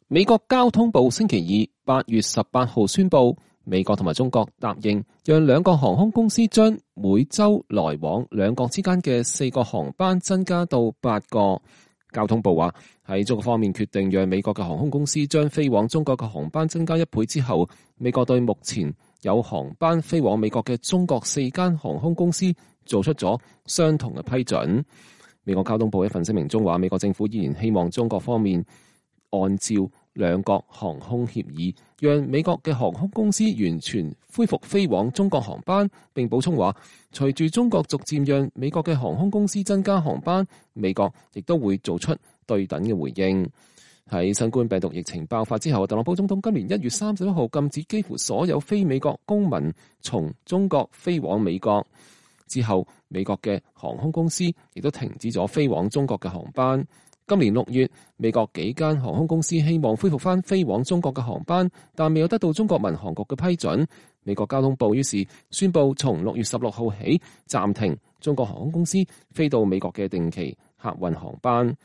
美國交通部星期二8月18號宣布，美國同埋中國答應讓兩個航空公司將每週來往兩國之間嘅4個航班增加到8個。交通部話喺中國方面決定讓美國嘅航空公司將飛往中國嘅航班增加1倍之後，美國對目前有航班飛往美國嘅中國4間航空公司做出咗相同嘅批准。美國交通部一份聲明中話，美國政府依然希望中國方面按照兩國航空協議，讓美國嘅航空公司完全恢復飛往中國航班。並補充話，隨住中國逐漸讓美國嘅航空公司增加航班，美國亦都會做出對等嘅回應。喺新冠病毒疫情爆發之後，特朗普總統今年1月31號禁止幾乎所有非美國公民從中國飛往美國。之後，美國嘅航空公司亦都停止咗飛往中國嘅航班。今年6月，美國幾間航空公司希望恢復翻飛往中國嘅航班，但未有得到中國民航局嘅批准。美國交通部於是宣布從6月16號起暫停中國航空公司飛到美國嘅定期客運航班。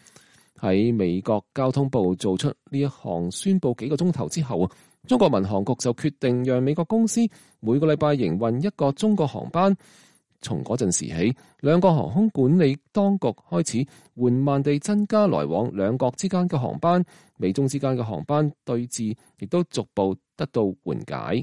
喺美國交通部做出呢一項宣布幾個鐘頭之後，中國民航局就決定讓美國公司每個禮拜營運一個中國航班。從嗰陣時起，兩個航空管理當局開始緩慢地增加來往兩國之間嘅航班，美中之間嘅航班對峙亦都逐步得到緩解。